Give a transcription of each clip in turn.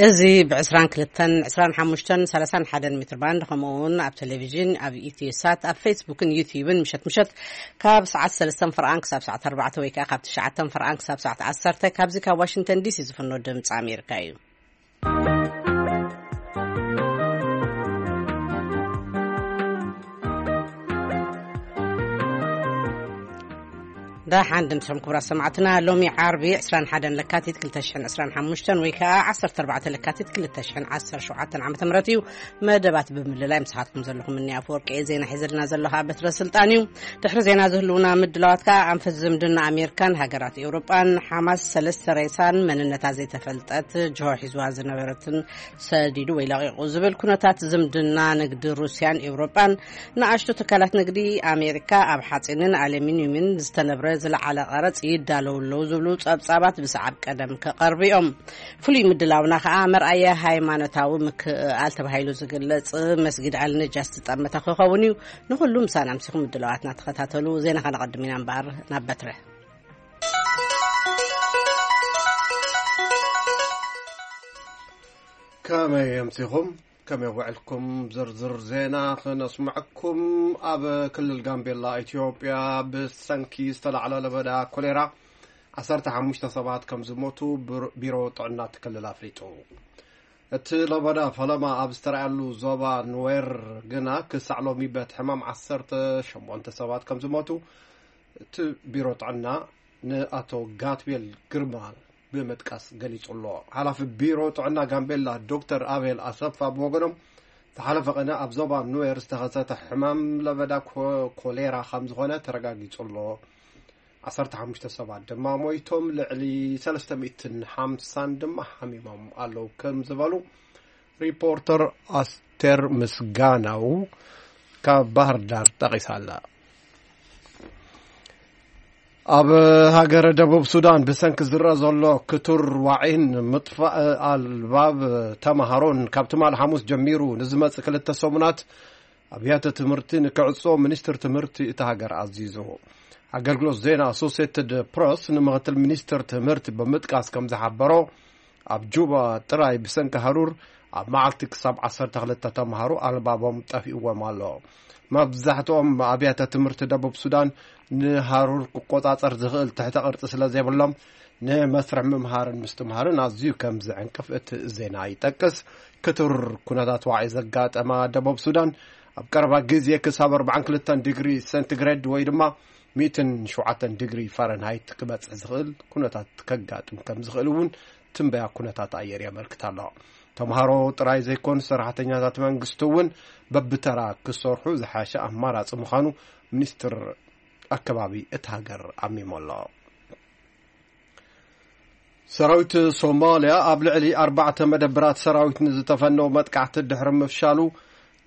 እዚ ብ22፣ 25፣ 31 ሜትር ባንድ፣ ከምኡ እውን ኣብ ቴሌቪዥን፣ ኣብ ኢትዮ ሳት፣ ኣብ ፌስቡክን ዩቲዩብን ምሸት ምሸት ካብ ሰዓት ሰለስተ ፍርኣን ክሳብ ሰዓት ኣርባዕተ፣ ወይ ከዓ ካብ ትሽዓተ ፍርኣን ክሳብ ሰዓት ዓሰርተ፣ ካብዚ ካብ ዋሽንግተን ዲሲ ዝፍኖ ድምፂ ኣሜሪካ እዩ። ደሓን ድምፅኹም ክቡራት ሰማዕትና። ሎሚ ዓርቢ ዕስራን ሓደን ለካቲት ክልተ ሽሕን ዕስራን ሓሙሽተን ወይ ከዓ ዓሰርተ ኣርባዕተ ለካቲት ክልተ ሽሕን ዓሰርተ ሸውዓተን ዓመተ ምህረት እዩ። መደባት ብምልላይ ምሳኻትኩም ዘለኹ ምኒ ኣፈወርቂ እየ። ዜና ሒዘልና ዘሎ ከዓ በትረ ስልጣን እዩ። ድሕሪ ዜና ዝህልውና ምድላዋት ከዓ ኣንፈት ዝምድና ኣሜሪካን ሃገራት ኤውሮጳን፣ ሓማስ ሰለስተ ሬሳን መንነታ ዘይተፈልጠት ጅሆ ሒዝዋ ዝነበረትን ሰዲዱ ወይ ለቒቑ ዝብል ኩነታት ዝምድና ንግዲ ሩስያን ኤውሮጳን፣ ንኣሽቱ ትካላት ንግዲ ኣሜሪካ ኣብ ሓፂንን ኣሉሚንዩምን ዝተነብረ ዝለዓለ ቀረፅ ይዳለዉ ኣለዉ ዝብሉ ጸብጻባት ብሰዓብ ቀደም ክቐርቡ እዮም። ፍሉይ ምድላውና ከዓ መርኣየ ሃይማኖታዊ ምክእኣል ተባሂሉ ዝግለጽ መስጊድ ኣልነጃስ ዝጠመተ ክኸውን እዩ። ንኹሉ ምሳና ኣምሲኹም ምድላዋትና ተኸታተሉ። ዜና ከነቐድም ኢና እምበኣር ናብ በትረ። ከመይ ኣምሲኹም? ከመይ ውዕልኩም? ዝርዝር ዜና ክነስምዐኩም። ኣብ ክልል ጋምቤላ ኢትዮጵያ ብሰንኪ ዝተላዕለ ለበዳ ኮሌራ ዓሰርተ ሓሙሽተ ሰባት ከም ዝሞቱ ብር-፣ ቢሮ ጥዕና እቲ ክልል ኣፍሊጡ። እቲ ለበዳ ፈለማ ኣብ ዝተረኣየሉ ዞባ ኑዌር ግና ክሳዕ ሎሚ በቲ ሕማም ዓሰርተ ሸሞንተ ሰባት ከም ዝሞቱ እቲ ቢሮ ጥዕና ንኣቶ ጋትቤል ግርማ ብምጥቃስ ገሊጹ ኣሎ። ሓላፊ ቢሮ ጥዕና ጋምቤላ ዶክተር ኣቤል ኣሰፋ ብወገኖም፣ ዝሓለፈ ቅነ ኣብ ዞባ ኑዌር ዝተኸሰተ ሕማም ለበዳ ኮ-፣ ኮሌራ ከም ዝኾነ ተረጋጊጹ ኣሎ። ዓሰርተ ሓሙሽተ ሰባት ድማ ሞይቶም፣ ልዕሊ ሰለስተ ሚእትን ሓምሳን ድማ ሓሚሞም ኣለዉ ከም ዝበሉ ሪፖርተር ኣስቴር ምስጋናው ካብ ባህር ዳር ጠቒሳ ኣላ። ኣብ ሃገረ ደቡብ ሱዳን ብሰንኪ ዝረአ ዘሎ ክቱር ዋዒን ምጥፋእ ኣልባብ ተማሃሮን ካብ ትማሊ ሓሙስ ጀሚሩ ንዝመጽእ ክልተ ሰሙናት ኣብያተ ትምህርቲ ንክዕጾ ሚኒስትር ትምህርቲ እታ ሃገር ኣዚዙ። ኣገልግሎት ዜና ኣሶሴትድ ፕረስ ንምክትል ሚኒስትር ትምህርቲ ብምጥቃስ ከም ዝሓበሮ፣ ኣብ ጁባ ጥራይ ብሰንኪ ሃሩር ኣብ መዓልቲ ክሳብ ዓሰርተ ክልተ ተምሃሮ ኣልባቦም ጠፊእዎም ኣሎ። መብዛሕትኦም ኣብያተ ትምህርቲ ደቡብ ሱዳን ንሃሩር ክቆጻጸር ዝኽእል ትሕተ ቅርጺ ስለ ዘይብሎም፣ ንመስርሕ ምምሃርን ምስትምሃርን ኣዝዩ ከም ዝዕንቅፍ እቲ ዜና ይጠቅስ። ክቱር ኩነታት ዋዒ ዘጋጠማ ደቡብ ሱዳን፣ ኣብ ቀረባ ግዜ ክሳብ ኣርባዓን ክልተን ዲግሪ ሴንቲግሬድ ወይ ድማ ሚእትን ሸውዓተን ዲግሪ ፋረንሃይት ክበጽሕ ዝኽእል ኩነታት ከጋጥም ከም ዝኽእል እውን ትንበያ ኩነታት ኣየር የመልክት ኣሎ። ተምሃሮ ጥራይ ዘይኮኑ፣ ሰራሕተኛታት መንግስቲ እውን በብተራ ክሰርሑ ዝሓሸ ኣማራጺ ምዃኑ ሚኒስትር ኣከባቢ እቲ ሃገር ኣሚሙ ኣሎ። ሰራዊት ሶማልያ ኣብ ልዕሊ ኣርባዕተ መደብራት ሰራዊት ንዝተፈነው መጥቃዕቲ ድሕሪ ምፍሻሉ፣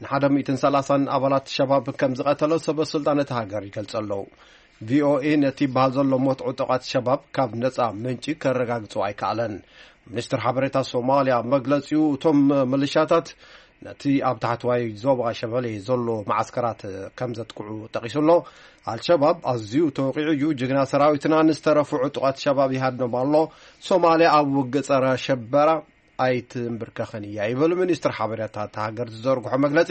ንሓደ ሚእትን ሰላሳን ኣባላት ሸባብ ከም ዝቐተለ ሰበ ስልጣን እቲ ሃገር ይገልጹ ኣለዉ። ቪኦኤ ነቲ ይበሃል ዘሎ ሞት ዕጡቓት ሸባብ ካብ ነጻ ምንጪ ከረጋግጾ ኣይከኣለን። ሚኒስትር ሓበሬታ ሶማልያ መግለጺኡ፣ እቶም ምልሻታት ነቲ ኣብ ታሕተዋይ ዞባ ሸበሌ ዘሎ መዓስከራት ከም ዘጥቅዑ ጠቒሱ ኣሎ። ኣልሸባብ ኣዝዩ ተወቂዑ እዩ። ጅግና ሰራዊትና ንዝተረፉ ዕጡቓት ሸባብ ይሃድኖም ኣሎ። ሶማልያ ኣብ ውግእ ጸረ ሸበራ ኣይትንብርከኽን እያ ይብል ሚኒስትር ሓበሬታ እታ ሃገር ዝዘርግሖ መግለጺ።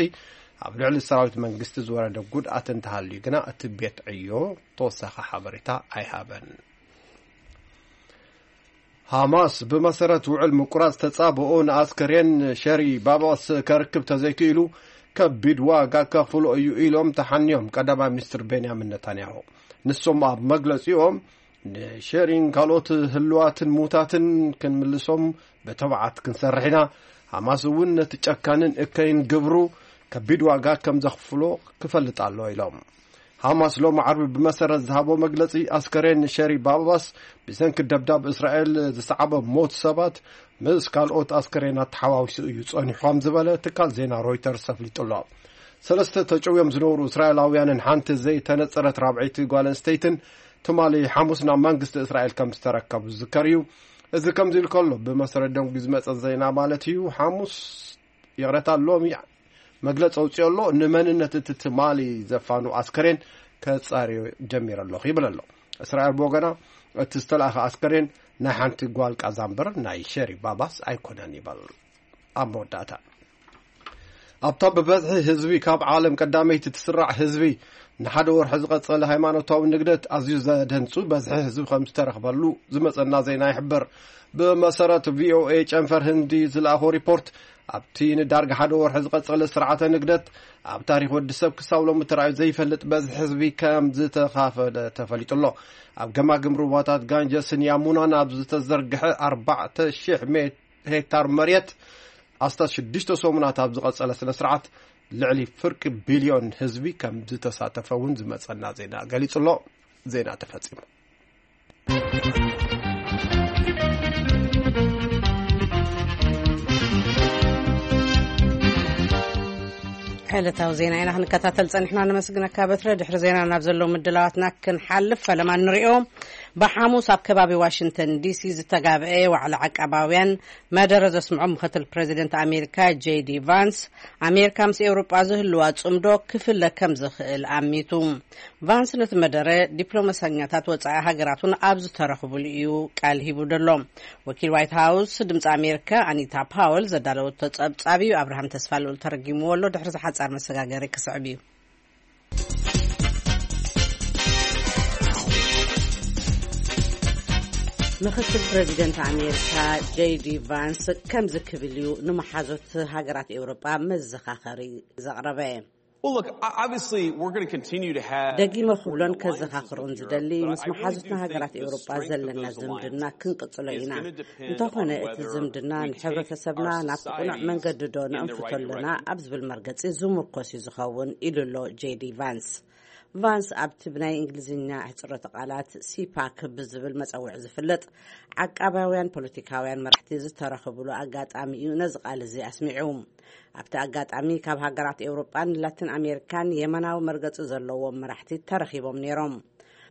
ኣብ ልዕሊ ሰራዊት መንግስቲ ዝወረደ ጉድኣት እንተሃልዩ ግና እቲ ቤት ዕዮ ተወሳኺ ሓበሬታ ኣይሃበን። ሃማስ ብመሰረት ውዕል ምቁራጽ ተጻብኦ ንኣስከሬን ሸሪ ባባስ ከርክብ ተዘይክኢሉ ከቢድ ዋጋ ከኽፍሎ እዩ ኢሎም ተሓንዮም ቀዳማይ ሚኒስትር ቤንያሚን ነታንያሁ። ንሶም ኣብ መግለጺኦም ንሸሪን ካልኦት ህልዋትን ሙታትን ክንምልሶም ብተባዓት ክንሰርሕ ኢና። ሃማስ እውን ነቲ ጨካንን እከይን ግብሩ ከቢድ ዋጋ ከም ዘኽፍሎ ክፈልጥ ኣሎ ኢሎም። ሃማስ ሎሚ ዓርቢ ብመሰረት ዝሃቦ መግለጺ፣ ኣስከሬን ሸሪ ባባስ ብሰንኪ ደብዳብ እስራኤል ዝሰዓበ ሞት ሰባት ምስ ካልኦት ኣስከሬናት ተሓዋዊሱ እዩ ጸኒሑ ከም ዝበለ ትካል ዜና ሮይተርስ ኣፍሊጡ ኣሎ። ሰለስተ ተጨውዮም ዝነበሩ እስራኤላውያንን ሓንቲ ዘይተነጸረት ራብዐይቲ ጓል ኣንስተይትን ትማሊ ሓሙስ ናብ መንግስቲ እስራኤል ከም ዝተረከቡ ዝዝከር እዩ። እዚ ከምዚ ኢሉ ከሎ፣ ብመሰረት ደንጉ ዝመጸ ዜና ማለት እዩ፣ ሓሙስ ይቕረታ፣ ሎሚ መግለጺ ኣውጺኡ ኣሎ። ንመንነት እቲ ትማሊ ዘፋኑ ኣስከሬን ከጻርዮ ጀሚረ ኣለኹ ይብል ኣሎ። እስራኤል ብወገና፣ እቲ ዝተላእኸ ኣስከሬን ናይ ሓንቲ ጓል ቃዛ እምበር ናይ ሸሪ ባባስ ኣይኮነን ይበል። ኣብ መወዳእታ ኣብታ ብበዝሒ ህዝቢ ካብ ዓለም ቀዳመይቲ ትስራዕ ህዝቢ ንሓደ ወርሒ ዝቐጸለ ሃይማኖታዊ ንግደት ኣዝዩ ዘደንጹ በዝሒ ህዝቢ ከም ዝተረኽበሉ ዝመጸና ዜና ይሕብር። ብመሰረት ቪኦኤ ጨንፈር ህንዲ ዝለኣኾ ሪፖርት፣ ኣብቲ ንዳርጋ ሓደ ወርሒ ዝቐጸለ ስርዓተ ንግደት ኣብ ታሪኽ ወዲ ሰብ ክሳብ ሎሚ ተራእዩ ዘይፈልጥ በዝሒ ህዝቢ ከም ዝተኻፈለ ተፈሊጡ ኣሎ። ኣብ ገማግም ሩባታት ጋንጀስን ያሙናን ኣብ ዝተዘርግሐ ኣርባዕተ ሽሕ ሜ- ሄክታር መሬት ኣስታት ሽዱሽተ ሰሙናት ኣብ ዝቐጸለ ስነ ስርዓት ልዕሊ ፍርቂ ቢልዮን ህዝቢ ከም ዝተሳተፈ እውን ዝመጸና ዜና ገሊጹ ኣሎ። ዜና ተፈጺሙ። ዕለታዊ ዜና ኢና ክንከታተል ጸኒሕና። ነመስግነካ በትረ። ድሕሪ ዜና ናብ ዘለዉ ምድላዋትና ክንሓልፍ ፈለማ ንሪኦ። ብሓሙስ ኣብ ከባቢ ዋሽንግተን ዲሲ ዝተጋብአ ዋዕላ ዓቃባውያን መደረ ዘስምዖ ምክትል ፕሬዚደንት ኣሜሪካ ጄዲ ቫንስ፣ ኣሜሪካ ምስ ኤውሮጳ ዝህልዋ ጽምዶ ክፍለ ከም ዝኽእል ኣሚቱ። ቫንስ ነቲ መደረ ዲፕሎማሰኛታት ወጻኢ ሃገራት እውን ኣብ ዝተረኽቡሉ እዩ ቃል ሂቡ ዘሎ። ወኪል ዋይት ሃውስ ድምፂ ኣሜሪካ ኣኒታ ፓወል ዘዳለወቶ ጸብጻብ እዩ። ኣብርሃም ተስፋ ልኡል ተረጊምዎ ኣሎ። ድሕሪ ዝሓጻር መሰጋገሪ ክስዕብ እዩ። ምክትል ፕሬዚደንት ኣሜሪካ ጄዲ ቫንስ ከምዚ ክብል እዩ ንመሓዞት ሃገራት ኤውሮጳ መዘኻኸሪ ዘቕረበ። Well, look, o- obviously, we're going to continue to have ደጊመ ክብሎን ከዘኻኽሮን ዝደሊ፣ ምስ መሓዙትና ሃገራት ኤውሮጳ ዘለና ዝምድና ክንቅጽሎ ኢና። እንተኾነ እቲ ዝምድና ንሕብረተሰብና ናብ ቅኑዕ መንገዲ ዶ ነእንፍቶ ኣለና ኣብ ዝብል መርገጺ ዝምርኮስ እዩ ዝኸውን ኢሉ ኣሎ ጄዲ ቫንስ። ቫንስ ኣብቲ ብናይ እንግሊዝኛ ኣሕጽሮተ ቃላት ሲፓክ ብዝብል መጸውዒ ዝፍለጥ ዓቃባውያን ፖለቲካውያን መራሕቲ ዝተረኽብሉ ኣጋጣሚ እዩ ነዚ ቃል እዚ ኣስሚዑ። ኣብቲ ኣጋጣሚ ካብ ሃገራት ኤውሮጳን ላቲን ኣሜሪካን የመናዊ መርገጺ ዘለዎም መራሕቲ ተረኺቦም ነይሮም።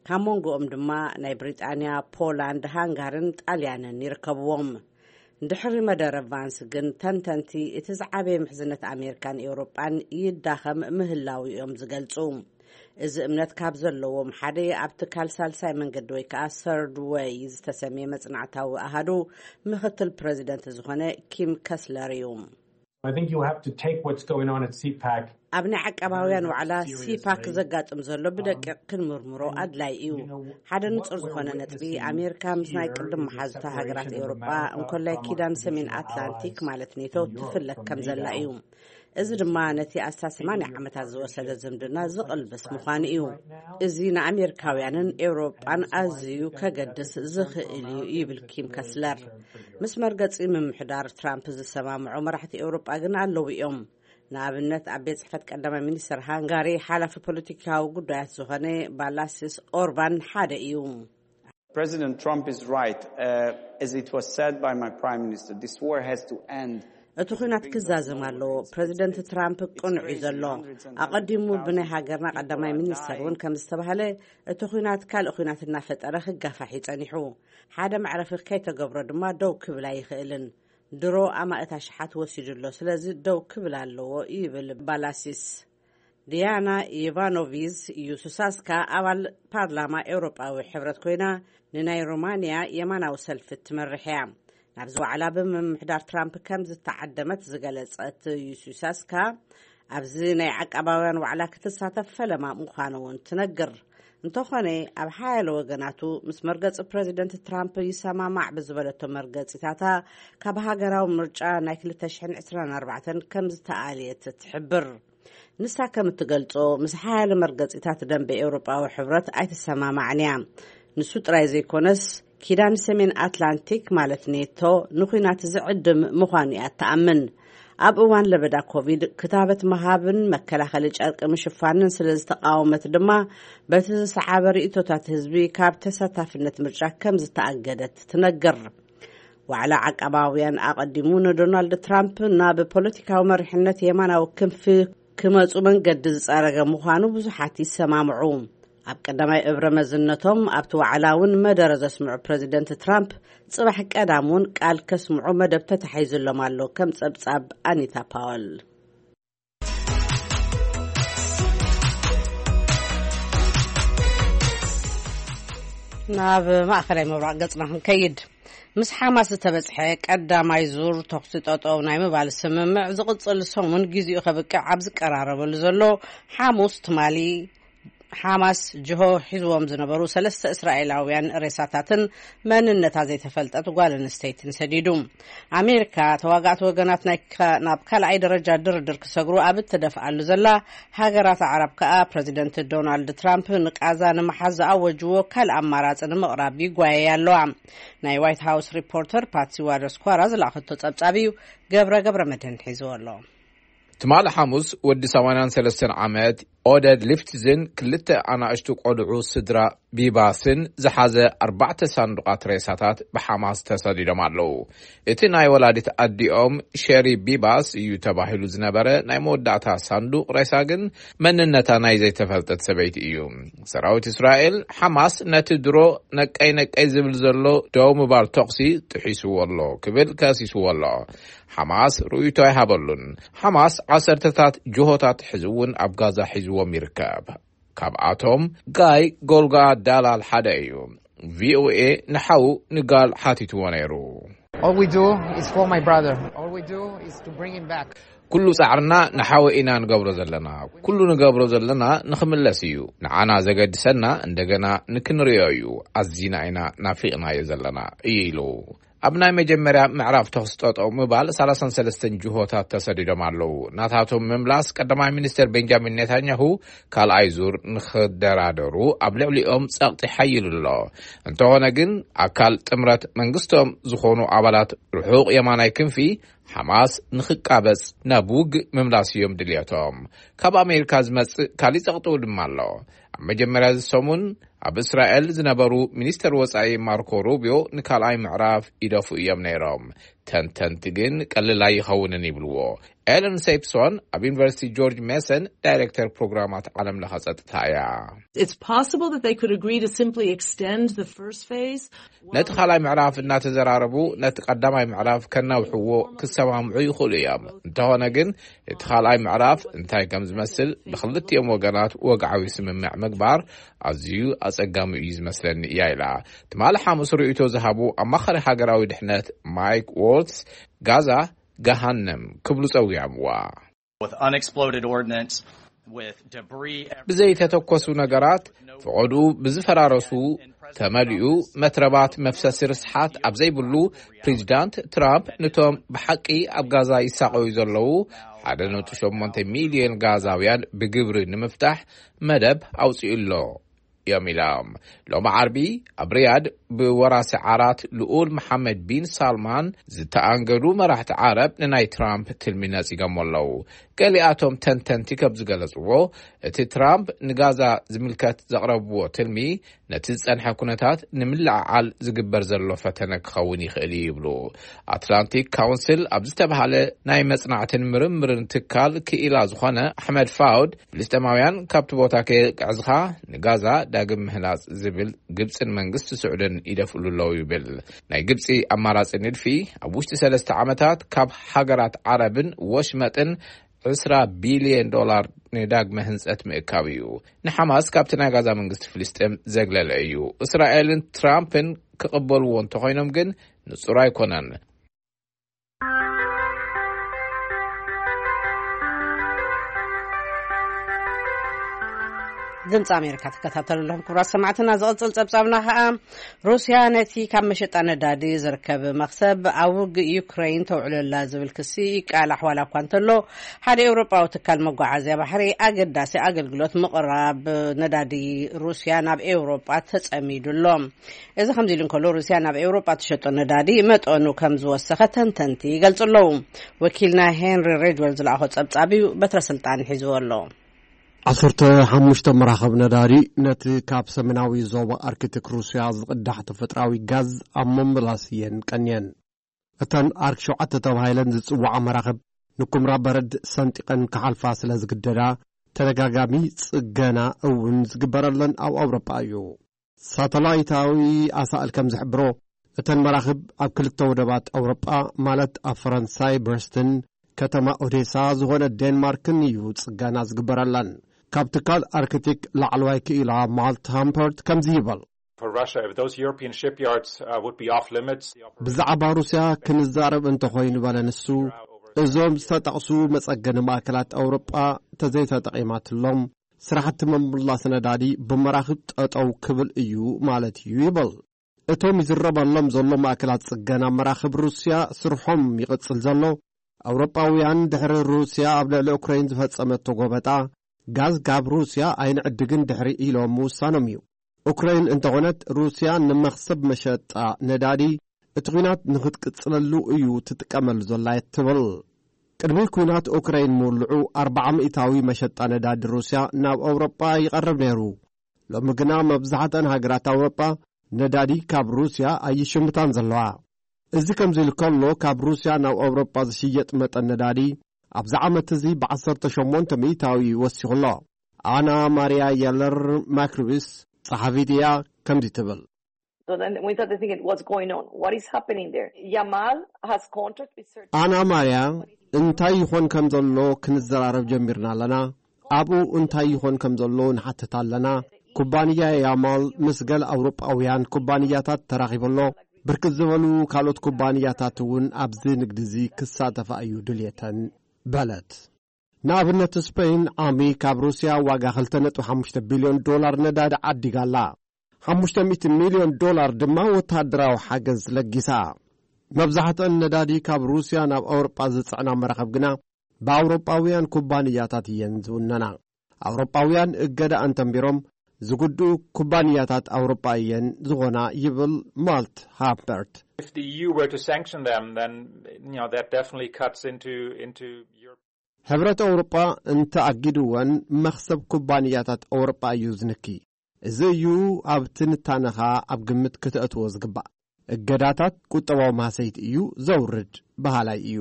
ካብ መንጎኦም ድማ ናይ ብሪጣንያ፣ ፖላንድ፣ ሃንጋርን ጣልያንን ይርከብዎም። ድሕሪ መደረ ቫንስ ግን ተንተንቲ እቲ ዝዓበየ ምሕዝነት ኣሜሪካን ኤውሮጳን ይዳኸም ምህላው እዮም ዝገልጹ። እዚ እምነት ካብ ዘለዎም ሓደ ኣብ ትካል ሳልሳይ መንገዲ ወይ ከዓ ሰርድ ወይ ዝተሰምየ መጽናዕታዊ ኣሃዱ ምክትል ፕሬዚደንት ዝኾነ ኪም ከስለር እዩ። I think you have to take what's going on at C PAC ኣብ ናይ ዓቃባውያን ዋዕላ ሲፓክ ዘጋጥም ዘሎ ብደቂቕ ክንምርምሮ ኣድላይ እዩ። ሓደ ንጹር ዝኾነ ነጥቢ፣ ኣሜሪካ ምስ ናይ ቅድም መሓዙታ ሃገራት ኤውሮጳ፣ እንኮላይ ኪዳን ሰሜን ኣትላንቲክ ማለት ኔቶ ትፍለክ ከም ዘላ እዩ። እዚ ድማ ነቲ ኣስታት ሰማንያ ዓመታት ዝወሰደ ዝምድና ዝቕልብስ ምዃኑ እዩ። እዚ ንኣሜሪካውያንን ኤውሮጳን ኣዝዩ ከገድስ ዝኽእል እዩ ይብል ኪም ከስለር። ምስ መርገጺ ምምሕዳር ትራምፕ ዝሰማምዑ መራሕቲ ኤውሮጳ ግን ኣለዉ እዮም። ንኣብነት ኣብ ቤት ጽሕፈት ቀዳማይ ሚኒስተር ሃንጋሪ ሓላፊ ፖለቲካዊ ጉዳያት ዝኾነ ባላሲስ ኦርባን ሓደ እዩ። President Trump is right. Uh, as it was said by my prime minister, this war has to end. እቲ ኲናት ክዛዘም ኣለዎ። ፕሬዚደንት ትራምፕ ቅኑዕ እዩ ዘሎ። ኣቐዲሙ ብናይ ሃገርና ቀዳማይ ሚኒስተር እውን ከም ዝተባህለ፣ እቲ ኲናት ካልእ ኲናት እናፈጠረ ክጋፋሕ እዩ ጸኒሑ። ሓደ መዕረፊ ከይተገብሮ ድማ ደው ክብል ኣይኽእልን። ድሮ ኣማእት ኣሽሓት ወሲዱ ኣሎ። ስለዚ ደው ክብል ኣለዎ ይብል ባላሲስ። ዲያና ኢቫኖቪዝ ዩሱሳስካ ኣባል ፓርላማ ኤውሮጳዊ ሕብረት ኮይና፣ ንናይ ሮማንያ የማናዊ ሰልፊ ትመርሕ እያ። ናብዚ ዋዕላ ብምምሕዳር ትራምፕ ከም ዝተዓደመት ዝገለጸት ዩሱሳስካ፣ ኣብዚ ናይ ዓቃባውያን ዋዕላ ክትሳተፍ ፈለማ ምዃኑ እውን ትነግር። እንተኾነ፣ ኣብ ሓያለ ወገናቱ ምስ መርገጺ ፕሬዚደንት ትራምፕ ይሰማማዕ ብዝበለቶ መርገጺታታ፣ ካብ ሃገራዊ ምርጫ ናይ ክልተ ሽሕን ዕስራን ኣርባዕተን ከም ዝተኣልየት ትሕብር። ንሳ ከም እትገልጾ፣ ምስ ሓያለ መርገጺታት ደንበ ኤውሮጳዊ ሕብረት ኣይትሰማማዕን እያ። ንሱ ጥራይ ዘይኮነስ፣ ኪዳን ሰሜን ኣትላንቲክ ማለት ኔቶ ንኹናት ዝዕድም ምዃኑ እያ እትኣምን። ኣብ እዋን ለበዳ ኮቪድ ክታበት ምሃብን መከላኸሊ ጨርቂ ምሽፋንን ስለ ዝተቃወመት ድማ፣ በቲ ዝሰዓበ ርእይቶታት ህዝቢ ካብ ተሳታፍነት ምርጫ ከም ዝተኣገደት ትነግር። ዋዕላ ዓቃባውያን ኣቐዲሙ ንዶናልድ ትራምፕ ናብ ፖለቲካዊ መሪሕነት የማናዊ ክንፊ ክመጹ መንገዲ ዝጸረገ ምዃኑ ብዙሓት ይሰማምዑ። ኣብ ቀዳማይ እብረ መዝነቶም ኣብቲ ዋዕላ እውን መደረ ዘስምዑ ፕረዚደንት ትራምፕ፣ ጽባሕ ቀዳም እውን ቃል ከስምዑ መደብ ተታሒዙሎም ኣሎ፣ ከም ጸብጻብ ኣኒታ ፓወል። ናብ ማእኸላይ ምብራቕ ገጽና ክንከይድ። ምስ ሓማስ ዝተበጽሐ ቀዳማይ ዙር ተኹሲ ጠጠው ናይ ምባል ስምምዕ ዝቕጽል ሰሙን ግዜኡ ከብቅዕ ኣብ ዝቀራረበሉ ዘሎ ሓሙስ ትማሊ፣ ሓማስ ጅሆ ሒዝዎም ዝነበሩ ሰለስተ እስራኤላውያን ሬሳታትን መንነታ ዘይተፈልጠት ጓል ኣንስተይትን ሰዲዱ። ኣሜሪካ ተዋጋእቲ ወገናት ናይ ካ-፣ ናብ ካልኣይ ደረጃ ድርድር ክሰግሩ ኣብ እትደፍኣሉ ዘላ፣ ሃገራት ኣዕራብ ከኣ ፕረዚደንት ዶናልድ ትራምፕ ንቃዛ ንምሓዝ ዝኣወጅዎ ካልእ ኣማራጺ ንምቕራብ ይጓየያ ኣለዋ። ናይ ዋይት ሃውስ ሪፖርተር ፓትሲ ዋደስኳራ ዝለኣኸቶ ጸብጻብ እዩ። ገብረ ገብረ መድህን ሒዝዎ ኣሎ። ትማሊ ሓሙስ ወዲ ሰማንያን ሰለስተን ዓመት ኦደድ ሊፍትዝን ክልተ ኣናእሽቱ ቆልዑ ስድራ ቢባስን ዝሓዘ ኣርባዕተ ሳንዱቓት ሬሳታት ብሓማስ ተሰዲዶም ኣለዉ። እቲ ናይ ወላዲት ኣዲኦም ሸሪ ቢባስ እዩ ተባሂሉ ዝነበረ ናይ መወዳእታ ሳንዱቕ ሬሳ ግን መንነታ ናይ ዘይተፈልጠት ሰበይቲ እዩ። ሰራዊት እስራኤል፣ ሓማስ ነቲ ድሮ ነቀይ ነቀይ ዝብል ዘሎ ደው ምባል ተኹሲ ጥሒስዎ ኣሎ ክብል ከሲስዎ ኣሎ። ሓማስ ርእይቶ ኣይሃበሉን። ሓማስ ዓሰርተታት ጅሆታት ሕዚ እውን ኣብ ጋዛ ሒዝዎም ይርከብ። ካብኣቶም ጋይ ጎልጋ ዳላል ሓደ እዩ። ቪኦኤ ንሓዉ ንጋል ሓቲትዎ ነይሩ። All we do is for my brother. All we do is to bring him back. ኩሉ ጻዕርና ንሓወ ኢና ንገብሮ ዘለና። ኩሉ ንገብሮ ዘለና ንኽምለስ እዩ። ንዓና ዘገድሰና እንደገና ንክንርእዮ እዩ። ኣዚና ኢና ናፊቕናዮ ዘለና እዩ ኢሉ። ኣብ ናይ መጀመርያ ምዕራፍ ተኹሲ ጠጠው ምባል ሰላሳን ሰለስተን ጅሆታት ተሰዲዶም ኣለዉ። ናታቶም ምምላስ ቀዳማይ ሚኒስትር ቤንጃሚን ኔታንያሁ ካልኣይ ዙር ንኽደራደሩ ኣብ ልዕሊኦም ጸቕጢ ሓይሉ ኣሎ። እንተኾነ ግን ኣካል ጥምረት መንግስቶም ዝኾኑ ኣባላት ርሑቕ የማናይ ክንፊ ሓማስ ንኽቃበጽ ናብ ውግእ ምምላስ እዮም ድልየቶም። ካብ ኣሜሪካ ዝመጽእ ካሊእ ጸቕጥኡ ድማ ኣሎ። ኣብ መጀመርያ እዚ ሰሙን ኣብ እስራኤል ዝነበሩ ሚኒስተር ወጻኢ ማርኮ ሩቢዮ ንካልኣይ ምዕራፍ ይደፉ እዮም ነይሮም። ተንተንቲ ግን ቀልል ኣይኸውንን ይብልዎ። ኤለን ሴፕሶን ኣብ ዩኒቨርሲቲ ጆርጅ ሜሰን ዳይሬክተር ፕሮግራማት ዓለም ለኸ ጸጥታ እያ። It's possible that they could agree to simply extend the first phase. ነቲ ካልኣይ ምዕራፍ እናተዘራረቡ ነቲ ቀዳማይ ምዕራፍ ከናውሕዎ ክሰማምዑ ይኽእሉ እዮም። እንተኾነ ግን እቲ ካልኣይ ምዕራፍ እንታይ ከም ዝመስል ብክልቲኦም ወገናት ወግዓዊ ስምምዕ ምግባር ኣዝዩ ኣጸጋሚ እዩ ዝመስለኒ እያ ኢላ። ትማሊ ሓሙስ ርእይቶ ዝሃቡ ኣማኻሪ ሃገራዊ ድሕነት ማይክ ዎልትስ ጋዛ ገሃነም ክብሉ ጸዊዖምዋ። With unexploded ordnance, with debris everywhere. ብዘይተተኮሱ ነገራት፣ ፈቐድኡ ብዝፈራረሱ ተመሊኡ መትረባት መፍሰሲ ርስሓት ኣብ ዘይብሉ፣ ፕሬዚዳንት ትራምፕ ነቶም ብሓቂ ኣብ ጋዛ ይሳቐዩ ዘለዉ ሓደ ነጥቢ ሸሞንተ ሚልዮን ጋዛውያን ብግብሪ ንምፍታሕ መደብ ኣውጺኡ ኣሎ እዮም ኢሎም። ሎሚ ዓርቢ ኣብ ሪያድ ብወራሲ ዓራት ልኡል መሓመድ ቢን ሳልማን ዝተኣንገዱ መራሕቲ ዓረብ ንናይ ትራምፕ ትልሚ ነጺጎሞ ኣለዉ። ገሊኣቶም ተንተንቲ ከም ዝገለጽዎ፣ እቲ ትራምፕ ንጋዛ ዝምልከት ዘቕረብዎ ትልሚ ነቲ ዝጸንሐ ኩነታት ንምልዕዓል ዝግበር ዘሎ ፈተነ ክኸውን ይኽእል እዩ ይብሉ። ኣትላንቲክ ካውንስል ኣብ ዝተባህለ ናይ መጽናዕትን ምርምርን ትካል ክኢላ ዝኾነ ኣሕመድ ፋውድ፣ ፍልስጤማውያን ካብቲ ቦታ ከየግዕዝኻ ንጋዛ ዳግም ምህናጽ ዝብል ግብጽን መንግስቲ ስዑድን ይደፍእሉ ኣለዉ ይብል። ናይ ግብጺ ኣማራጺ ንድፊ ኣብ ውሽጢ ሰለስተ ዓመታት ካብ ሃገራት ዓረብን ወሽመጥን ዕስራ ቢልዮን ዶላር ንዳግመ ህንጸት ምእካብ እዩ። ንሓማስ ካብቲ ናይ ጋዛ መንግስቲ ፍልስጤም ዘግለለ እዩ። እስራኤልን ትራምፕን ክቕበልዎ እንተኾይኖም ግን ንጹር ኣይኮነን። ድምፂ ኣሜሪካ ትከታተሉ ኣለኹም ክቡራት ሰማዕትና። ዝቕፅል ፀብፃብና ከዓ ሩስያ ነቲ ካብ መሸጣ ነዳዲ ዝርከብ መኽሰብ ኣብ ውግእ ዩክሬን ተውዕለላ ዝብል ክሲ ይቃላሕ ዋላ እኳ እንተሎ፣ ሓደ ኤውሮጳዊ ትካል መጓዓዝያ ባሕሪ ኣገዳሲ ኣገልግሎት ምቕራብ ነዳዲ ሩስያ ናብ ኤውሮጳ ተጸሚዱ ኣሎ። እዚ ከምዚ ኢሉ እንከሎ፣ ሩስያ ናብ ኤውሮጳ ትሸጦ ነዳዲ መጠኑ ከም ዝወሰኸ ተንተንቲ ይገልጹ ኣለዉ። ወኪልና ሄንሪ ሬጅወል ዝለኣኾ ጸብጻብ እዩ፣ በትረ ስልጣን ሒዝዎ ኣሎ። ዓሰርተ ሓሙሽተ መራኸብ ነዳዲ ነቲ ካብ ሰሜናዊ ዞባ ኣርክቲክ ሩስያ ዝቕዳሕ ተፈጥራዊ ጋዝ ኣብ ምምላስ እየን ቀንየን። እተን ኣርክ ሸውዓተ ተባሂለን ዝጽውዓ መራኽብ ንኩምራ በረድ ሰንጢቐን ክሓልፋ ስለ ዝግደዳ፣ ተደጋጋሚ ጽገና እውን ዝግበረለን ኣብ ኣውሮጳ እዩ። ሳተላይታዊ ኣሳእል ከም ዝሕብሮ፣ እተን መራኽብ ኣብ ክልተ ወደባት ኣውሮጳ፣ ማለት ኣብ ፈረንሳይ ብረስትን ከተማ ኦዴሳ ዝኾነ ዴንማርክን እዩ ጽገና ዝግበረለን። ካብ ትካል ኣርክቲክ ላዕለዋይ ክኢላ ማልት ሃምፐርት ከምዚ ይበል። for Russia, if those European shipyards uh, would be off limits, the operation ብዛዕባ ሩስያ ክንዛረብ እንተኾይኑ፣ በለ ንሱ፣ እዞም ዝተጠቕሱ መጸገኒ ማእከላት ኣውሮጳ ተዘይተጠቒማትሎም፣ ስራሕቲ ምምላስ ነዳዲ ብመራኽብ ጠጠው ክብል እዩ ማለት እዩ ይብል። እቶም ይዝረበሎም ዘሎ ማእከላት ጽገና መራኽብ ሩስያ ስርሖም ይቕጽል ዘሎ፣ ኣውሮጳውያን ድሕሪ ሩስያ ኣብ ልዕሊ ኡክራይን ዝፈጸመቶ ጎበጣ፣ ጋዝ ካብ ሩስያ ኣይንዕድግን ድሕሪ ኢሎም ምውሳኖም እዩ። ኡክራይን እንተኾነት፣ ሩስያ ንመኽሰብ መሸጣ ነዳዲ እቲ ኲናት ንኽትቅጽለሉ እዩ ትጥቀመሉ ዘላ እያ ትብል። ቅድሚ ኲናት ኡክራይን ምውልዑ፣ ኣርብዓ ሚእታዊ መሸጣ ነዳዲ ሩስያ ናብ ኣውሮጳ ይቐርብ ነይሩ። ሎሚ ግና መብዛሕትኣን ሃገራት ኣውሮጳ ነዳዲ ካብ ሩስያ ኣይሽምታን ዘለዋ። እዚ ከምዚ ኢሉ ከሎ፣ ካብ ሩስያ ናብ ኣውሮጳ ዝሽየጥ መጠን ነዳዲ ኣብዚ ዓመት እዚ ብ18% ወሲኹ ኣሎ። ኣና ማርያ የለር ማክሪብስ ጸሓፊት እያ፣ ከምዚ ትብል። So then we started thinking, what's going on? What is happening there? Yamal has contract with certain ኣና ማርያ፣ እንታይ ይኾን ከም ዘሎ ክንዘራረብ ጀሚርና ኣለና። ኣብኡ እንታይ ይኾን ከም ዘሎ ንሓትት ኣለና። ኩባንያ ያማል ምስ ገለ ኣውሮጳውያን ኩባንያታት ተራኺቡ ኣሎ። ብርክት ዝበሉ ካልኦት ኩባንያታት እውን ኣብዚ ንግዲ እዚ ክሳተፋ እዩ ድልየተን፣ በለት። ንኣብነት፣ ስፔን ዓሚ ካብ ሩስያ ዋጋ ክልተ ነጥቢ ሓሙሽተ ቢልዮን ዶላር ነዳዲ ዓዲጋ ኣላ። ሓሙሽተ ሚእቲ ሚልዮን ዶላር ድማ ወተሃደራዊ ሓገዝ ለጊሳ። መብዛሕትአን ነዳዲ ካብ ሩስያ ናብ ኣውሮጳ ዝጽዕና መራኽብ ግና ብኣውሮጳውያን ኩባንያታት እየን ዝውነና። ኣውሮጳውያን እገዳ ኣንተንቢሮም ዝጉድኡ ኩባንያታት ኣውሮጳ እየን ዝኾና ይብል ማልት ሃምበርት። If the E U were to sanction them, then you know that definitely cuts into into Europe. ሕብረት ኣውሮጳ እንተ ኣጊድወን መኽሰብ ኩባንያታት ኣውሮጳ እዩ ዝንኪ። እዚ እዩ ኣብ ትንታነኻ ኣብ ግምት ክተእትዎ ዝግባእ። እገዳታት ቁጠባዊ ማህሰይቲ እዩ ዘውርድ በሃላይ እዩ።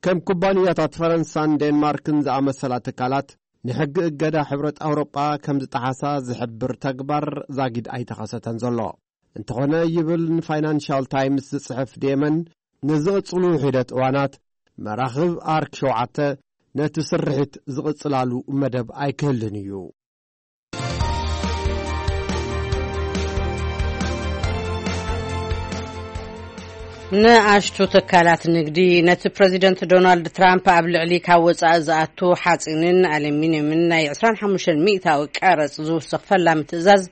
ከም ኩባንያታት ፈረንሳን ዴንማርክን ዝኣመሰላ ትካላት ንሕጊ እገዳ ሕብረት ኣውሮጳ ከም ዝጠሓሳ ዝሕብር ተግባር ዛጊድ ኣይተኸሰተን ዘሎ። እንተኾነ ይብል ንፋይናንሻል ታይምስ ዝጽሕፍ ዴመን፣ ንዝቕጽሉ ሒደት እዋናት መራኽብ ኣርክ ሸውዓተ ነቲ ስርሒት ዝቕጽላሉ መደብ ኣይክህልን እዩ። ንኣሽቱ ትካላት ንግዲ ነቲ ፕረዚደንት ዶናልድ ትራምፕ ኣብ ልዕሊ ካብ ወጻኢ ዝኣቱ ሓጺንን ኣሉሚንየምን ናይ ዕስራን ሓሙሽተን ሚእታዊ ቀረጽ ዝውስኽ ፈላሚ ትእዛዝ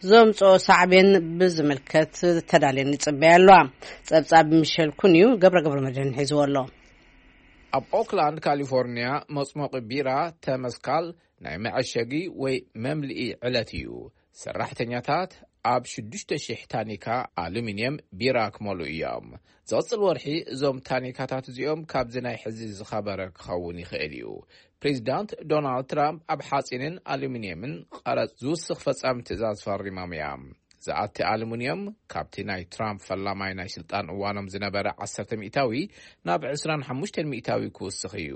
ዘምጽኦ ሳዕቤን ብዝምልከት ተዳልየን ይጽበያ ኣለዋ። ጸብጻብ ሚሸል ኩን እዩ፣ ገብረ ገብረ መድህን ሒዝዎ ኣሎ። ኣብ ኦክላንድ ካሊፎርኒያ መጽሞቒ ቢራ ተመስካል ናይ መዐሸጊ ወይ መምልኢ ዕለት እዩ። ሰራሕተኛታት ኣብ ሽዱሽተ ሽሕ ታኒካ ኣሉሚንየም ቢራ ክመሉ እዮም። ዝቕጽል ወርሒ እዞም ታኒካታት እዚኦም ካብዚ ናይ ሕዚ ዝኸበረ ክኸውን ይኽእል እዩ። ፕሬዚዳንት ዶናልድ ትራምፕ ኣብ ሓጺንን ኣሉሚንየምን ቀረጽ ዝውስኽ ፈጻሚ ትእዛዝ ፈሪሞም እዮም። ዝኣቲ ኣሉሚንየም ካብቲ ናይ ትራምፕ ፈላማይ ናይ ስልጣን እዋኖም ዝነበረ ዓሰርተ ሚእታዊ ናብ ዕስራን ሓሙሽተን ሚእታዊ ክውስኽ እዩ።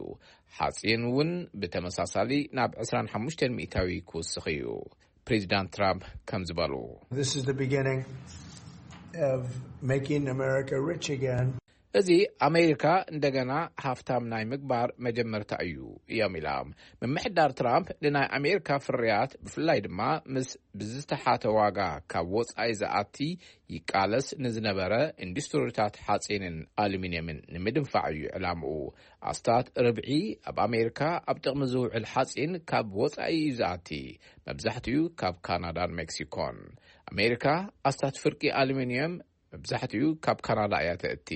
ሓጺን እውን ብተመሳሳሊ ናብ ዕስራን ሓሙሽተን ሚእታዊ ክውስኽ እዩ። ፕሬዚዳንት ትራምፕ ከም ዝበሉ This is the beginning of making America rich again. እዚ ኣሜሪካ እንደገና ሃፍታም ናይ ምግባር መጀመርታ እዩ እዮም ኢላ። ምምሕዳር ትራምፕ ንናይ ኣሜሪካ ፍርያት ብፍላይ ድማ ምስ ብዝተሓተ ዋጋ ካብ ወጻኢ ዝኣቲ ይቃለስ ንዝነበረ ኢንዱስትሪታት ሓጺንን ኣሉሚንየምን ንምድንፋዕ እዩ ዕላምኡ። ኣስታት ርብዒ ኣብ ኣሜሪካ ኣብ ጥቕሚ ዝውዕል ሓጺን ካብ ወጻኢ እዩ ዝኣቲ። መብዛሕትኡ ካብ ካናዳን ሜክሲኮን። ኣሜሪካ ኣስታት ፍርቂ ኣሉሚንየም መብዛሕትኡ ካብ ካናዳ እያ ተእቲ።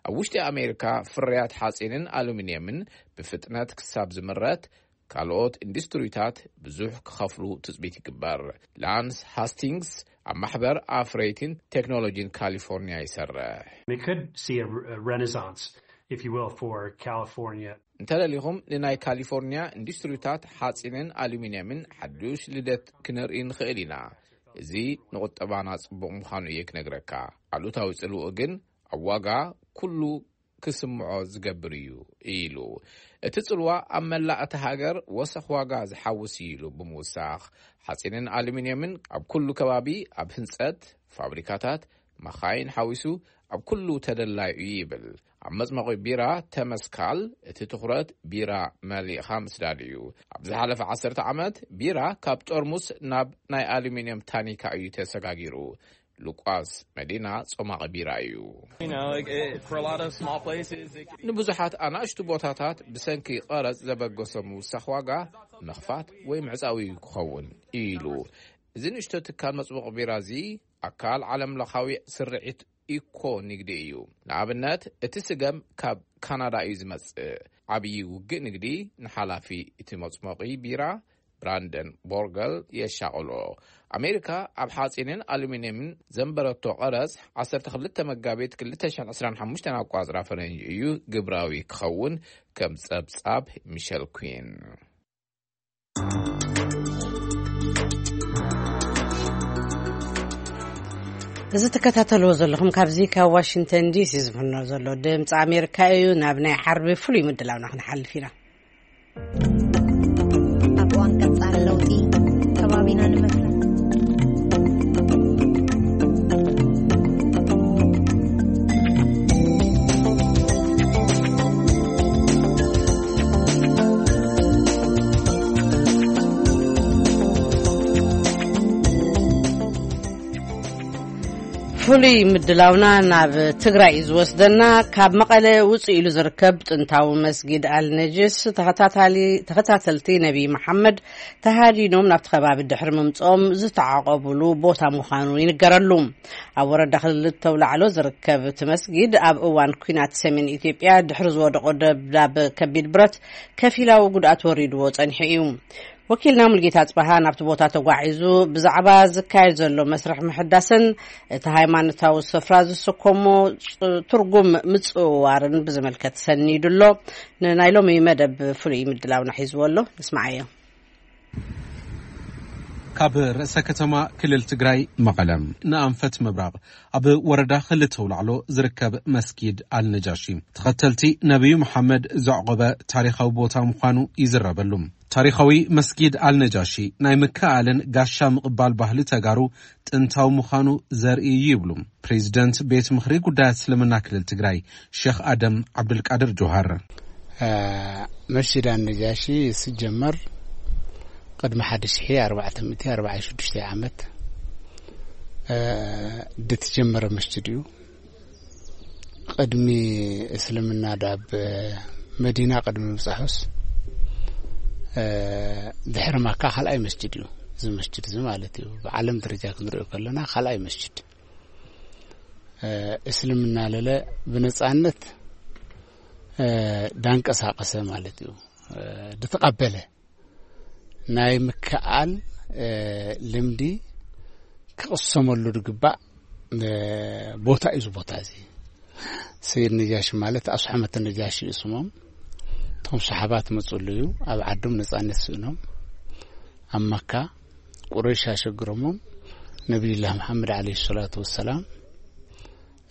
ኣብ ውሽጢ ኣሜሪካ ፍርያት ሓጺንን ኣሉሚንየምን ብፍጥነት ክሳብ ዝምረት ካልኦት ኢንዱስትሪታት ብዙሕ ክኸፍሉ ትጽቢት ይግበር። ላንስ ሃስቲንግስ ኣብ ማሕበር ኣፍረይትን ቴክኖሎጂን ካሊፎርኒያ ይሰርሕ። We could see a, a renaissance, if you will, for California. እንተደሊኹም ንናይ ካሊፎርኒያ ኢንዱስትሪታት ሓጺንን ኣሉሚንየምን ሓዱሽ ልደት ክንርኢ ንኽእል ኢና። እዚ ንቁጠባና ጽቡቕ ምዃኑ እየ ክነግረካ። ኣሉታዊ ጽልውኡ ግን ኣብ ዋጋ ኩሉ ክስምዖ ዝገብር እዩ ኢሉ። እቲ ጽልዋ ኣብ መላእ እታ ሃገር ወሰኽ ዋጋ ዝሓውስ እዩ ኢሉ ብምውሳኽ፣ ሓጺንን ኣሉሚንየምን ኣብ ኩሉ ከባቢ ኣብ ህንጸት፣ ፋብሪካታት፣ መኻይን ሓዊሱ ኣብ ኩሉ ተደላይ እዩ ይብል። ኣብ መጽመቒ ቢራ ተመስካል እቲ ትኹረት ቢራ መሊእኻ ምስዳድ እዩ። ኣብ ዝሓለፈ ዓሰርተ ዓመት ቢራ ካብ ጠርሙስ ናብ ናይ ኣሉሚንየም ታኒካ እዩ ተሰጋጊሩ። ሉቃስ መዲና ጾማቒ ቢራ እዩ። You know, like, it, for a lot of small places, it, ንብዙሓት ኣናእሽቱ ቦታታት ብሰንኪ ቀረጽ ዘበገሶ ምውሳኽ ዋጋ ምኽፋት ወይ ምዕጻው እዩ ክኸውን ኢሉ። እዚ ንእሽቶ ትካል መጽሙቕ ቢራ እዚ ኣካል ዓለም ለኻዊ ስርዒት ኢኮ ንግዲ እዩ። ንኣብነት እቲ ስገም ካብ ካናዳ እዩ ዝመጽእ። ዓብዪ ውግእ ንግዲ ንሓላፊ እቲ መጽሞቒ ቢራ ብራንደን ቦርገል የሻቕሎ። ኣሜሪካ ኣብ ሓጺንን ኣሉሚንየምን ዘንበረቶ ቀረጽ ዓሰርተ ክልተ መጋቢት ክልተ ሽሕን ዕስራን ሓሙሽተን ኣቋጽራ ፈረንጂ እዩ ግብራዊ ክኸውን፣ ከም ጸብጻብ ሚሸል ኩን። እዚ ትከታተልዎ ዘለኹም ካብዚ ካብ ዋሽንግተን ዲሲ ዝፍኖ ዘሎ ድምፂ ኣሜሪካ እዩ። ናብ ናይ ዓርቢ ፍሉይ ምድላውና ክንሓልፍ ኢና። ኣብ እዋን ቀጻሊ ለውጢ ከባቢና ንምፍላጥ ፍሉይ ምድላውና ናብ ትግራይ እዩ ዝወስደና። ካብ መቐለ ውፅእ ኢሉ ዝርከብ ጥንታዊ መስጊድ ኣልነጅስ ተኸታታሊ-፣ ተኸታተልቲ ነቢይ መሓመድ ተሃዲኖም ናብቲ ከባቢ ድሕሪ ምምፅኦም ዝተዓቐቡሉ ቦታ ምዃኑ ይንገረሉ። ኣብ ወረዳ ክልተ ኣውላዕሎ ዝርከብ እቲ መስጊድ ኣብ እዋን ኲናት ሰሜን ኢትዮጵያ ድሕሪ ዝወደቆ ደብዳብ ከቢድ ብረት ከፊላዊ ጉድኣት ወሪድዎ ጸኒሑ እዩ። ወኪልና ሙልጌታ ጽበሃ ናብቲ ቦታ ተጓዒዙ ብዛዕባ ዝካየድ ዘሎ መስርሕ ምሕዳስን እቲ ሃይማኖታዊ ስፍራ ዝስከሞ ፅ-፣ ትርጉም ምጽውዋርን ብዝምልከት ሰኒዱ ኣሎ። ንናይ ሎሚ መደብ ፍሉይ ምድላውና ሒዝዎ ኣሎ። ንስማዓዮ። ካብ ርእሰ ከተማ ክልል ትግራይ መቐለ ንኣንፈት ምብራቕ ኣብ ወረዳ ክልተ ኣውላዕሎ ዝርከብ መስጊድ ኣልነጃሺ ተኸተልቲ ነቢዩ መሓመድ ዘዕቆበ ታሪኻዊ ቦታ ምዃኑ ይዝረበሉ። ታሪኻዊ መስጊድ ኣልነጃሺ ናይ ምክእኣልን ጋሻ ምቕባል ባህሊ ተጋሩ ጥንታዊ ምዃኑ ዘርኢ እዩ ይብሉ ፕሬዚደንት ቤት ምኽሪ ጉዳያት እስልምና ክልል ትግራይ ሼኽ ኣደም ዓብዱልቃድር ጆሃር። እ፣ መስጂድ ኣነጃሺ ሲጀመር ቅድሚ ሓደ ሽሕ ኣርባዕተ ሚእቲ ኣርባዓ ሽዱሽተ ዓመት፣ እ፣ ድትጀመረ መስጂድ እዩ። ቅድሚ እስልምና ዳብ መዲና ቅድሚ ምብጻሑስ፣ እ፣ ድሕሪ ማካ ካልኣይ መስጂድ እዩ። እዚ መስጂድ እዚ ማለት እዩ። ብዓለም ደረጃ ክንሪኦ ከለና ካልኣይ መስጂድ። እ፣ እስልምና ለለ ብነጻነት፣ እ፣ ዳንቀሳቀሰ ማለት እዩ። እ፣ ድተቐበለ ናይ ምክኣል፣ እ፣ ልምዲ ክቕሰመሉ ዝግባእ፣ እ፣ ቦታ እዩ። እዚ ቦታ እዚ ሰይድ ነጃሺ ማለት ኣስሐመት ነጃሺ እዩ ስሞም። እቶም ሰሓባት መፅሉ እዩ። ኣብ ዓዶም ነፃነት ስእኖም ኣብ መካ ቁረይሽ ኣሸግሮሞም ነቢዩላህ መሓመድ ዓለይሂ ሰላቱ ወሰላም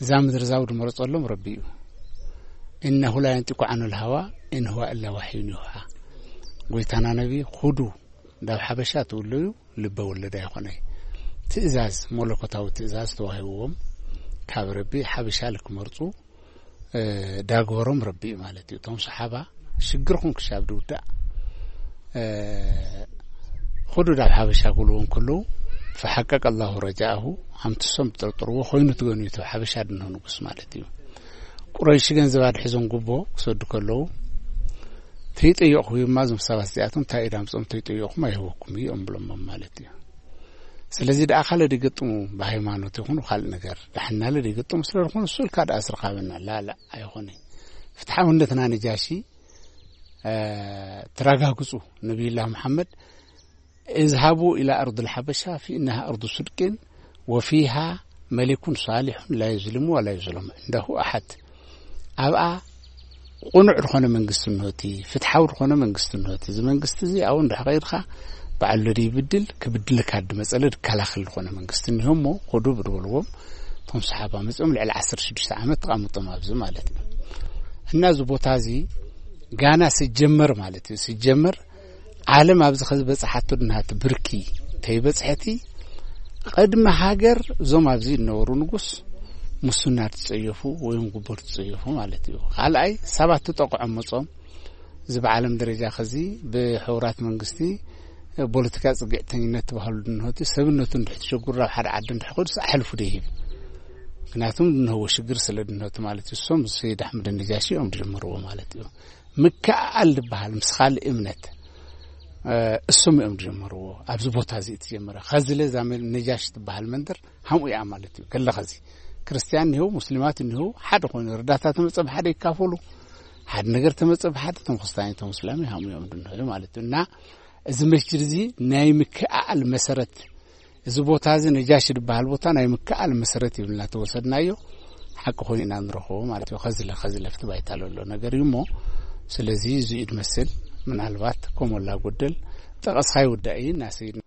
እዛ ምድሪ እዛ ዝመረፀሎም ረቢ እዩ። እነሁ ላ የንጢቁ ዓኑል ሃዋ ኢን ሁዋ ኢላ ዋሕዩን ዩሃ። ጎይታና ነቢ፣ "ኹዱ ናብ ሓበሻ ትውለዩ ልበ ወለድ ኣይኾነይ። ትእዛዝ መለኮታዊ ትእዛዝ ተዋሂብዎም ካብ ረቢ ሓበሻ ልክመርፁ፣ እ፣ ዳግበሮም ረቢ እዩ" ማለት እዩ። እቶም ሰሓባ ሽግርኹም ክሻብ ድውዳእ፣ እ፣ "ኹዱ ናብ ሓበሻ" ክብልዎ እንከለዉ፣ "ፈሓቀቀ ኣላሁ ረጃአሁ", ሃምትሶም ዝጠርጥርዎ ኮይኑ ትገኑ እዩ፣ እቲ ሓበሻ ድንሆ ንጉስ ማለት እዩ። ቁረይሽ ገንዘብ ኣድሒዞም ጉቦ ክሰዱ ከለዉ፣ "ተይጠየቕኹም እዩማ እዞም ሰባት እዚኣቶም፣ እንታይ ኢዳ ምፅኦም ተይጠየቕኹም ኣይህበኩም እዩ" እዮም ብሎሞም ማለት እዩ። ስለዚ ደኣ ካልእ ደይገጥሙ ብሃይማኖት ይኹን ካልእ ነገር ዳሕናለ ደይገጥሙ ስለ ዝኾኑ እሱ ኢልካ ደኣ ስርካበና ላላ ኣይኾነ። ፍትሓውነትና ነጃሺ፣ እ፣ ተረጋግጹ። ነቢዩላህ መሓመድ፣ "እዝሃቡ ኢላ ኣርዱል ሓበሻ ፊኢናሃ ኣርዱ ስድቅን ወፊሃ መሊኩን ሳሊሑን ላ ዩዝሊሙ ወላ ዩዝለሙ ዕንዳሁ ኣሓድ።" ኣብኣ ቁኑዕ ዝኾነ መንግስቲ እንሆቲ፣ ፍትሓዊ ዝኾነ መንግስቲ እንሆቲ። እዚ መንግስቲ እዚ ኣብኡ እንድሕር ከይድካ ባዕሉ ደይብድል፣ ክብድልካ ድመጸለ ድከላኸል ዝኾነ መንግስቲ እንሆ እሞ፣ ኹዱ ብድበልዎም እቶም ሰሓባ መጺኦም ልዕሊ ዓሰርተ ሽዱሽተ ዓመት ተቐምጦም ኣብዚ ማለት እዩ። እና እዚ ቦታ እዚ ጋና ስጀመር ማለት እዩ። ስጀመር ዓለም ኣብዚ ከዚ በጽሓቶ ድናሃት ብርኪ ተይበጽሐቲ ቅድሚ ሃገር እዞም ኣብዚ ዝነበሩ ንጉስ ሙስና ትጸየፉ ወይም ጉቦ ትጸየፉ ማለት እዩ። ካልኣይ ሰባት ተጠቕዖም መጾም እዚ ብዓለም ደረጃ ከዚ ብሕቡራት መንግስቲ ፖለቲካ ጽግዕተኝነት ተባህሉ ድንሆቲ ሰብነቱ እንድሕቲ ሸጉር ናብ ሓደ ዓዲ እንድሕኮዱስ ኣሕልፉ ደይህብ ምክንያቱም ድንህዎ ሽግር ስለ ድንሆቲ ማለት እዩ። እሶም ሰይድ ኣሕመድ ነጃሺ እዮም ድጀመርዎ ማለት እዩ። ምክኣል ዝበሃል ምስ ካልእ እምነት እሶም እዮም ድጀመርዎ። ኣብዚ ቦታ እዚ እትጀመረ ከዚ ለዛ ነጃሽ ትበሃል መንደር ሃምኡ እያ ማለት እዩ። ከለ ከዚ ክርስትያን እኒህው ሙስሊማት እኒህው ሓደ ኮይኑ ርዳታ ተመፀ ብሓደ ይካፈሉ ሓደ ነገር ተመፀ ብሓደ ተምክስታኒ ተምስላሚ ሃምኡ እዮም ድንሆ ማለት እዩ። እና እዚ መስጅድ እዚ ናይ ምክኣል መሰረት እዚ ቦታ እዚ ነጃሽ ዝበሃል ቦታ ናይ ምክኣል መሰረት ይብልና ተወሰድናዮ ሓቂ ኮይኑ ኢና ንረኽቦ ማለት እዩ። ከዚ ለ ከዚ ለፍቲ ባይታ ለሎ ነገር እዩ እሞ ስለዚ እዚ እዩ ድመስል። ምናልባት ከሞላ ጎደል ጠቐስካ ይውዳእ እዩ እናሰይድና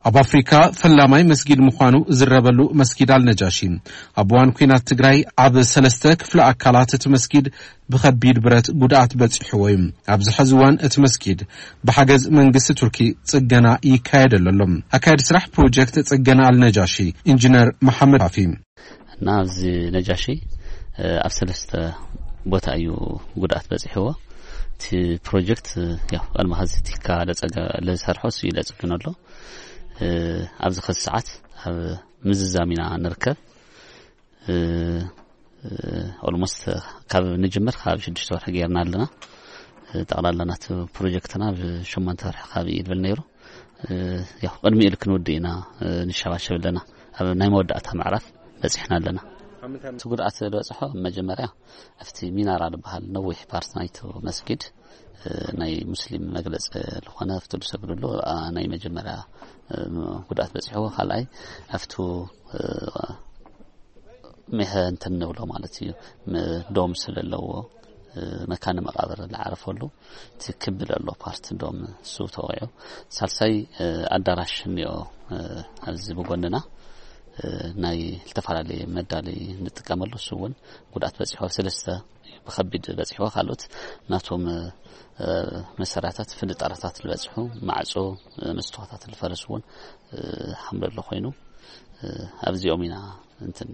ኣብ ኣፍሪካ ፈላማይ መስጊድ ምዃኑ ዝረበሉ መስጊድ ኣልነጃሺ ኣብ እዋን ኩናት ትግራይ ኣብ ሰለስተ ክፍለ ኣካላት እቲ መስጊድ ብኸቢድ ብረት ጉድኣት በፂሕዎ እዩ። ኣብዚ ሐዚ እዋን እቲ መስጊድ ብሓገዝ መንግስቲ ቱርኪ ፅገና ይካየደሉ ኣሎ። ኣካየዲ ስራሕ ፕሮጀክት ፅገና ኣልነጃሺ ኢንጂነር መሓመድ ካፊ እና ኣብዚ ነጃሺ ኣብ ሰለስተ ቦታ እዩ ጉድኣት በፂሕዎ። እቲ ፕሮጀክት ያው ቀድሚ ኸዚ ቲካ ለፀገ ለሰርሖ እሱ እዩ ለፅግን ኣሎ። ኣብዚ ኸዚ ሰዓት ኣብ ምዝዛም ኢና ንርከብ። ኦልሞስት ካብ ንጅምር ካብ ሽዱሽተ ወርሒ ገይርና ኣለና። ጠቕላላ ናቲ ፕሮጀክትና ብሸሞንተ ወርሒ ካብ እዩ ድብል ነይሩ። ያው ቅድሚ ኢሉ ክንውድእ ኢና ንሸባሸብ ኣለና። ኣብ ናይ መወዳእታ ምዕራፍ በፂሕና ኣለና። እቲ ጉድኣት ዝበፅሖ መጀመርያ ኣብቲ ሚናራ ዝበሃል ነዊሕ ፓርት ናይቲ መስጊድ ናይ ሙስሊም መግለፂ ዝኾነ ኣብቲ ዝሰግድሉ ናይ መጀመርያ ጉድኣት በፂሕዎ። ካልኣይ ኣብቲ ምሀ እንትን ንብሎ ማለት እዩ። ዶም ስለለዎ መካነ መቃብር ዝዓረፈሉ እቲ ክቢ ዘሎ ፓርት ዶም እሱ ተወቂዑ። ሳልሳይ ኣዳራሽ እኒኦ ኣብዚ ብጎንና ናይ ዝተፈላለየ መዳለይ ንጥቀመሉ እሱ እውን ጉድኣት በፂሖ። ሰለስተ ብከቢድ በፂሕዎ። ካልኦት ናቶም መሰራታት ፍንጣራታት ዝበፅሑ ማዕፆ መስትዋታት ዝፈረስ እውን ሓምለሎ ኮይኑ ኣብዚኦም ኢና እንትን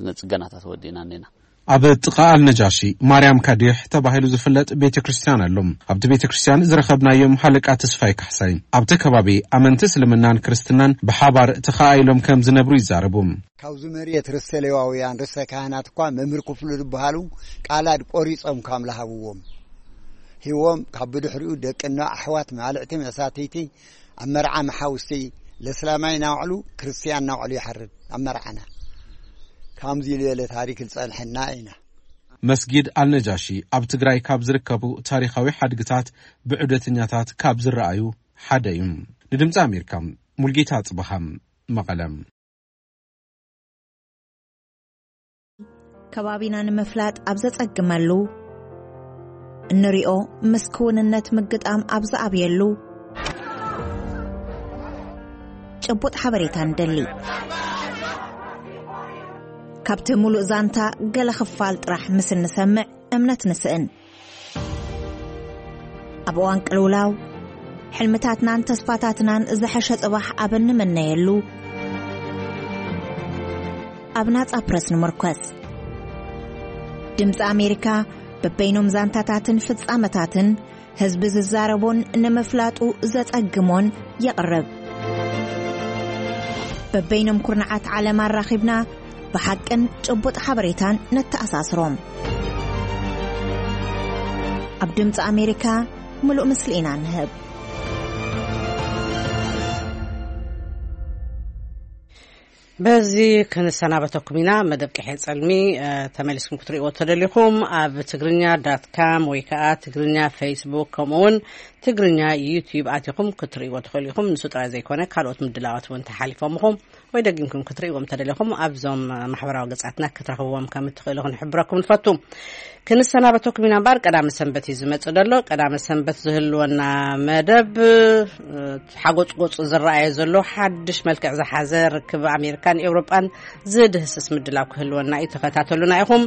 ንፅገናታት ወዲእና እኔና። ኣብ ጥቓ ኣልነጃሺ ማርያም ካዲሕ ተባሂሉ ዝፍለጥ ቤተ ክርስቲያን ኣሎ። ኣብቲ ቤተ ክርስቲያን ዝረኸብናዮም ሃለቃ ተስፋይ ካሕሳይ ኣብቲ ከባቢ ኣመንቲ እስልምናን ክርስትናን ብሓባር ተኸኣኢሎም ከም ዝነብሩ ይዛረቡ። ካብዚ መሬት ርእሰ ሌዋውያን ርእሰ ካህናት እኳ መምህር ክፍሉ ዝበሃሉ ቃላድ ቆሪጾም ካም ለሃብዎም ሂዎም ካብ ብድሕሪኡ ደቅና ኣሕዋት ማልዕቲ መሳተይቲ ኣብ መርዓ መሓውስቲ ለስላማይ ናውዕሉ ክርስትያን ናውዕሉ ይሓርብ ኣብ መርዓና ካምዚ ዝበለ ታሪክ ዝጸንሐና ኢና። መስጊድ ኣልነጃሺ ኣብ ትግራይ ካብ ዝርከቡ ታሪኻዊ ሓድግታት ብዑደተኛታት ካብ ዝረኣዩ ሓደ እዩ። ንድምፂ ኣሜሪካ ሙልጌታ ኣፅበሃ መቐለ። ከባቢና ንምፍላጥ ኣብ ዘጸግመሉ እንሪኦ ምስ ክውንነት ምግጣም ኣብ ዝኣብየሉ ጭቡጥ ሓበሬታ ንደሊ። ካብቲ ሙሉእ ዛንታ ገለ ክፋል ጥራሕ ምስ እንሰምዕ እምነት ንስእን። ኣብ እዋን ቅልውላው ሕልምታትናን ተስፋታትናን ዝሐሸ ጽባሕ ኣብ እንምነየሉ ኣብ ናጻ ፕረስ ንምርኮስ። ድምፂ ኣሜሪካ በበይኖም ዛንታታትን ፍጻመታትን ህዝቢ ዝዛረቦን ንምፍላጡ ዘጸግሞን የቕርብ። በበይኖም ኩርናዓት ዓለም ኣራኺብና ብሓቅን ጭቡጥ ሓበሬታን ነተኣሳስሮም። ኣብ ድምፂ ኣሜሪካ ምሉእ ምስሊ ኢና ንህብ። በዚ ክንሰናበተኩም ኢና። መደብ ቅሔ ጸልሚ ተመሊስኩም ክትርእይዎ ተደሊኹም ኣብ ትግርኛ ዳት ካም ወይ ከዓ ትግርኛ ፌስቡክ ከምኡውን ትግርኛ ዩቲዩብ ኣቲኹም ክትርእይዎ ትኽእሉ ኢኹም። ንሱ ጥራይ ዘይኮነ ካልኦት ምድላዋት እውን ተሓሊፎምኹም ወይ ደጊምኩም ክትርእይዎም ተደሊኹም ኣብዞም ማሕበራዊ ገጻትና ክትረኽብዎም ከም እትኽእሉ ክንሕብረኩም ንፈቱ። ክንሰናበተኩም ኢና እምበር ቀዳመ ሰንበት እዩ ዝመጽእ ዘሎ። ቀዳመ ሰንበት ዝህልወና መደብ ሓጎጽጎጹ ዝረኣየ ዘሎ ሓድሽ መልክዕ ዝሓዘ ርክብ ኣሜሪካን ኤውሮጳን ዝድህስስ ምድላው ክህልወና እዩ። ተኸታተሉና ኢኹም።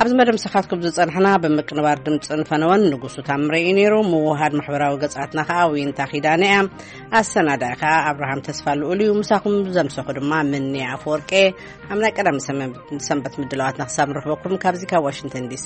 ኣብዚ መደብ ምሳኻትኩም ዝጸንሕና ብምቅንባር ድምፅን ፈነወን ንጉሱ ታምረ እዩ ነይሩ። ምውሃድ ማሕበራዊ ገጻትና ከዓ ዊንታ ኪዳነ እያ። ኣሰናዳኢ ከዓ ኣብርሃም ተስፋ ልኡል እዩ። ምሳኹም ዘምሰኹ ድማ ምኒ ኣፈወርቄ። ኣብ ናይ ቀዳሚ ሰንበት ምድላዋትና ክሳብ ንረኽበኩም ካብዚ ካብ ዋሽንግተን ዲሲ